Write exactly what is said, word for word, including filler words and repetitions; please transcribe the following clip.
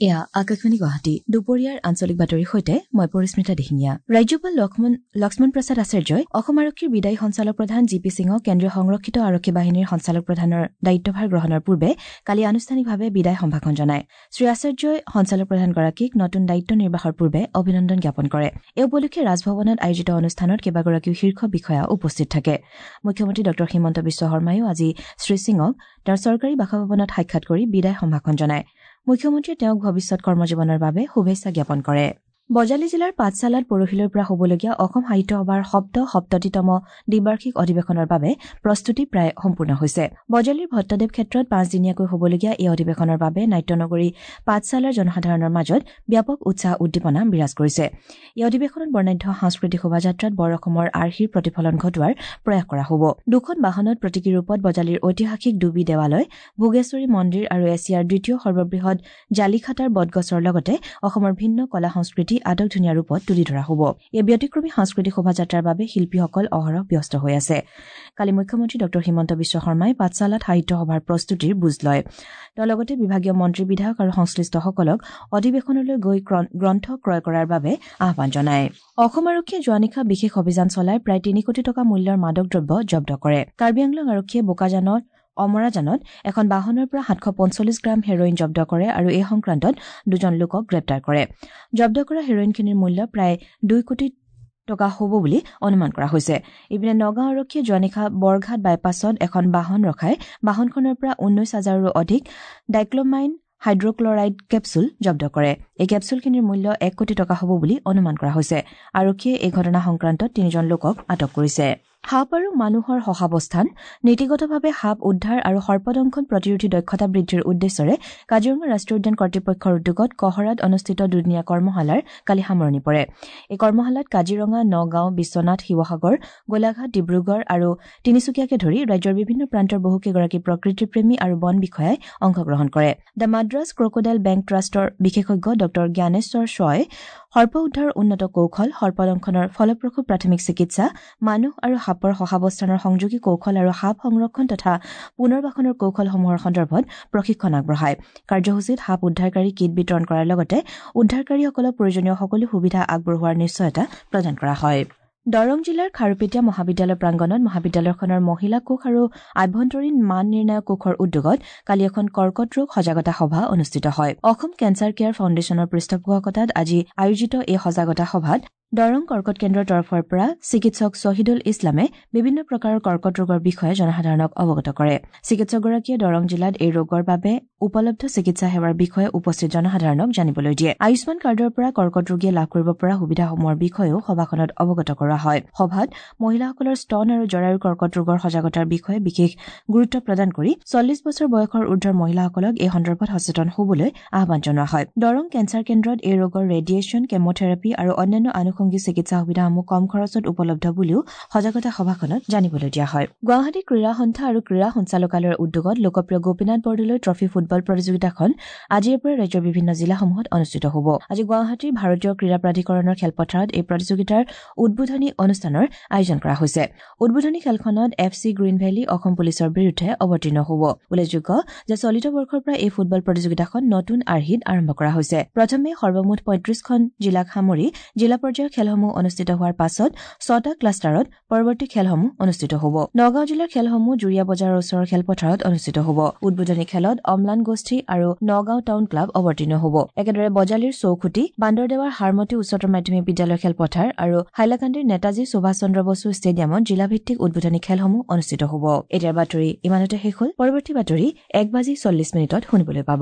এয়া আকাশবাণী গুৱাহাটী, দুপৰীয়াৰ আঞ্চলিক বাতৰিৰ সৈতে মই পৰিস্মিতা দিহিঙীয়া। ৰাজ্যপাল লক্ষ্মণ লক্ষ্মণ প্ৰসাদ আচাৰ্যই অসম আৰক্ষীৰ বিদায়ী সঞ্চালক প্ৰধান জি পি সিঙক কেন্দ্ৰীয় সংৰক্ষিত আৰক্ষী বাহিনীৰ সঞ্চালক প্ৰধানৰ দায়িত্বভাৰ গ্ৰহণৰ পূৰ্বে কালি আনুষ্ঠানিকভাৱে বিদায় সম্ভাষণ জনায়। শ্ৰী আচাৰ্যই সঞ্চালক প্ৰধানগৰাকীক নতুন দায়িত্ব নিৰ্বাহৰ পূৰ্বে অভিনন্দন জ্ঞাপন কৰে। এই উপলক্ষে ৰাজভৱনত আয়োজিত অনুষ্ঠানত কেইবাগৰাকীও শীৰ্ষ বিষয়া উপস্থিত থাকে। মুখ্যমন্ত্ৰী ডঃ হিমন্ত বিশ্ব শৰ্মায়ো আজি শ্ৰী সিঙক তেওঁৰ চৰকাৰী বাসভৱনত সাক্ষাৎ কৰি বিদায় সম্ভাষণ জনায়। মুখ্যমন্ত্ৰীয়ে তেওঁক ভৱিষ্যত কৰ্মজীৱনৰ বাবে শুভেচ্ছা জ্ঞাপন কৰে। বজালী জিলাৰ পাঠশালাত পৰহিলৈৰ পৰা হ'বলগীয়া অসম সাহিত্য সভাৰ সপ্ত সপ্ততিতম দ্বিবাৰ্ষিক অধিৱেশনৰ বাবে প্ৰস্তুতি প্ৰায় সম্পূৰ্ণ হৈছে। বজালীৰ ভট্টদেৱ ক্ষেত্ৰত পাঁচদিনীয়াকৈ হ'বলগীয়া এই অধিৱেশনৰ বাবে নাট্যনগৰী পাঠশালাৰ জনসাধাৰণৰ মাজত ব্যাপক উৎসাহ উদ্দীপনা বিৰাজ কৰিছে। এই অধিৱেশনত বৰ্ণাঢ্য সাংস্কৃতিক শোভাযাত্ৰাত বৰ অসমৰ আৰ্হিৰ প্ৰতিফলন ঘটোৱাৰ প্ৰয়াস কৰা হ'ব। দুখন বাহনত প্ৰতীকী ৰূপত বজালীৰ ঐতিহাসিক ডুবি দেৱালয়, ভোগেশ্বৰী মন্দিৰ আৰু এছিয়াৰ দ্বিতীয় সৰ্ববৃহৎ জালিখাটাৰ বটগছৰ লগতে অসমৰ ভিন্ন কলা সংস্কৃতি আটক ধুনীয়া ৰূপত তুলি ধৰা হ'ব। এই ব্যতিক্ৰমী সাংস্কৃতিক শোভাযাত্ৰাৰ বাবে শিল্পীসকল অহৰহ ব্যস্ত হৈ আছে। কালি মুখ্যমন্ত্ৰী ডঃ হিমন্ত বিশ্ব শৰ্মাই পাঠশালাত সাহিত্য সভাৰ প্ৰস্তুতিৰ বুজ লয়। তেওঁ লগতে বিভাগীয় মন্ত্ৰী, বিধায়ক আৰু সংশ্লিষ্টসকলক অধিৱেশনলৈ গৈ গ্ৰন্থ ক্ৰয় কৰাৰ বাবে আহ্বান জনায়। অসম আৰক্ষীয়ে যোৱা নিশা বিশেষ অভিযান চলাই প্ৰায় তিনি কোটি টকা মূল্যৰ মাদক দ্ৰব্য জব্দ কৰে। কাৰ্বি আংলং আৰক্ষীয়ে বোকাজানত অমৰাজানত এখন বাহনৰ পৰা সাতশ পঞ্চল্লিছ গ্ৰাম হেৰইন জব্দ কৰে আৰু এই সংক্ৰান্তত দুজন লোকক গ্ৰেপ্তাৰ কৰে। জব্দ কৰা হেৰইনখিনিৰ মূল্য প্ৰায় দুই কোটি টকা হ'ব বুলি অনুমান কৰা হৈছে। ইপিনে নগাঁও আৰক্ষীয়ে যোৱা নিশা বৰঘাট বাইপাছত এখন বাহন ৰখাই বাহনখনৰ পৰা ঊনৈশ হাজাৰৰো অধিক ডাইক্লমাইন হাইড্ৰক্লৰাইড কেপছুল জব্দ কৰে। এই কেপছুলখিনিৰ মূল্য এক কোটি টকা হ'ব বুলি অনুমান কৰা হৈছে। আৰক্ষীয়ে এই ঘটনা সংক্ৰান্তত তিনিজন লোকক আটক কৰিছে। সাপ আৰু মানুহৰ সহাৱস্থান, নীতিগতভাৱে সাপ উদ্ধাৰ আৰু সৰ্পদংশন প্ৰতিৰোধী দক্ষতা বৃদ্ধিৰ উদ্দেশ্যৰে কাজিৰঙা ৰাষ্ট্ৰীয় উদ্যান কৰ্তৃপক্ষৰ উদ্যোগত কহৰাত অনুষ্ঠিত দুদিনীয়া কৰ্মশালাৰ কালি সামৰণি পৰে। এই কৰ্মশালাত কাজিৰঙা, নগাঁও, বিশ্বনাথ, শিৱসাগৰ, গোলাঘাট, ডিব্ৰুগড় আৰু তিনিচুকীয়াকে ধৰি ৰাজ্যৰ বিভিন্ন প্ৰান্তৰ বহুকেইগৰাকী প্ৰকৃতিপ্ৰেমী আৰু বন বিষয়াই অংশগ্ৰহণ কৰে। The Madras crocodile bank ট্ৰাষ্টৰ বিশেষজ্ঞ ডঃ জ্ঞানেশ্বৰ শ্বই সৰ্প উদ্ধাৰৰ উন্নত কৌশল, সৰ্পদংশনৰ ফলপ্ৰসূ প্ৰাথমিক চিকিৎসা, মানুহ আৰু সাপৰ সহাৱস্থানৰ সংযোগী কৌশল আৰু সাপ সংৰক্ষণ তথা পুনৰ্বাসনৰ কৌশলসমূহৰ সন্দৰ্ভত প্ৰশিক্ষণ আগবঢ়ায়। কাৰ্যসূচীত সাপ উদ্ধাৰকাৰী কিট বিতৰণ কৰাৰ লগতে উদ্ধাৰকাৰীসকলক প্ৰয়োজনীয় সকলো সুবিধা আগবঢ়োৱাৰ নিশ্চয়তা প্ৰদান কৰা হয়। দৰং জিলাৰ খাৰুপেটীয়া মহাবিদ্যালয় প্ৰাংগণত মহাবিদ্যালয়খনৰ মহিলা কোষ আৰু আভ্যন্তৰীণ মান নিৰ্ণায়ক কোষৰ উদ্যোগত কালি এখন কৰ্কট ৰোগ সজাগতা সভা অনুষ্ঠিত হয়। অসম কেঞ্চাৰ কেয়াৰ ফাউণ্ডেশ্যনৰ পৃষ্ঠপোষকতাত আজি আয়োজিত এই সজাগতা সভাত দৰং কৰ্কট কেন্দ্ৰৰ তৰফৰ পৰা চিকিৎসক শ্বহিদুল ইছলামে বিভিন্ন প্ৰকাৰৰ কৰ্কট ৰোগৰ বিষয়ে জনসাধাৰণক অৱগত কৰে। চিকিৎসকগৰাকীয়ে দৰং জিলাত এই ৰোগৰ বাবে উপলব্ধ চিকিৎসা সেৱাৰ বিষয়ে উপস্থিত জনসাধাৰণক জানিবলৈ দিয়ে। আয়ুষ্মান কাৰ্ডৰ পৰা কৰ্কট ৰোগীয়ে লাভ কৰিব পৰা সুবিধাসমূহৰ বিষয়েও সভাখনত অৱগত কৰোৱা হয়। সভাত মহিলাসকলৰ স্তন আৰু জৰায়ুৰ কৰ্কট ৰোগৰ সজাগতাৰ বিষয়ে বিশেষ গুৰুত্ব প্ৰদান কৰি চল্লিছ বছৰ বয়সৰ ঊৰ্ধৰ মহিলাসকলক এই সন্দৰ্ভত সচেতন হ'বলৈ আহ্বান জনোৱা হয়। দৰং কেঞ্চাৰ কেন্দ্ৰত এই ৰোগৰ ৰেডিয়েশ্যন, কেমোথেৰাপি আৰু অন্যান্য আনুষংগিক চিকিৎসা সুবিধাসমূহ কম খৰচত উপলব্ধ বুলিও সজাগতা সভাখনত জানিবলৈ দিয়া হয়। গুৱাহাটী ক্ৰীড়া সন্থা আৰু ক্ৰীড়া সঞ্চালকালয়ৰ উদ্যোগত লোকপ্ৰিয় গোপীনাথ বৰদলৈ ট্ৰফী ফুটবল প্ৰতিযোগিতাখন আজিৰে পৰা ৰাজ্যৰ বিভিন্ন জিলাসমূহত অনুষ্ঠিত হ'ব। আজি গুৱাহাটীৰ ভাৰতীয় ক্ৰীড়া প্ৰাধিকৰণৰ খেলপথাৰত এই প্ৰতিযোগিতাৰ উদ্বোধনী অনুষ্ঠানৰ আয়োজন কৰা হৈছে। উদ্বোধনী খেলখনত F C Green Valley Assam পুলিচৰ বিৰুদ্ধে অৱতীৰ্ণ হ'ব। উল্লেখযোগ্য যে চলিত বৰ্ষৰ পৰা এই ফুটবল প্ৰতিযোগিতাখন নতুন আৰ্হিত আৰম্ভ কৰা হৈছে। প্ৰথমে সৰ্বমুঠ পঁয়ত্ৰিশখন জিলাক সামৰি জিলা পৰ্যায়ৰ খেলসমূহ অনুষ্ঠিত হোৱাৰ পাছত ছটা ক্লাষ্টাৰত পৰৱৰ্তী খেলসমূহ অনুষ্ঠিত হ'ব। নগাঁও জিলাৰ খেলসমূহ জুৰীয়া বজাৰৰ ওচৰৰ খেলপথাৰত অনুষ্ঠিত হ'ব। উদ্বোধনী খেলত অম্লান গোষ্ঠী আৰু নগাঁও টাউন ক্লাব অৱতীৰ্ণ হ'ব। একেদৰে বজালীৰ চৌখুটি, বান্দৰদেৱাৰ হাৰমতী উচ্চতৰ মাধ্যমিক বিদ্যালয়ৰ খেলপথাৰ আৰু হাইলাকান্দিৰ নেতাজী সুভাষ চন্দ্ৰ বসু ষ্টেডিয়ামত জিলাভিত্তিক উদ্বোধনী খেলসমূহ অনুষ্ঠিত হ'ব। এতিয়াৰ বাতৰি ইমানতে শেষ হ'ল। পৰৱৰ্তী বাতৰি এক বাজি চল্লিছ মিনিটত শুনিবলৈ পাব।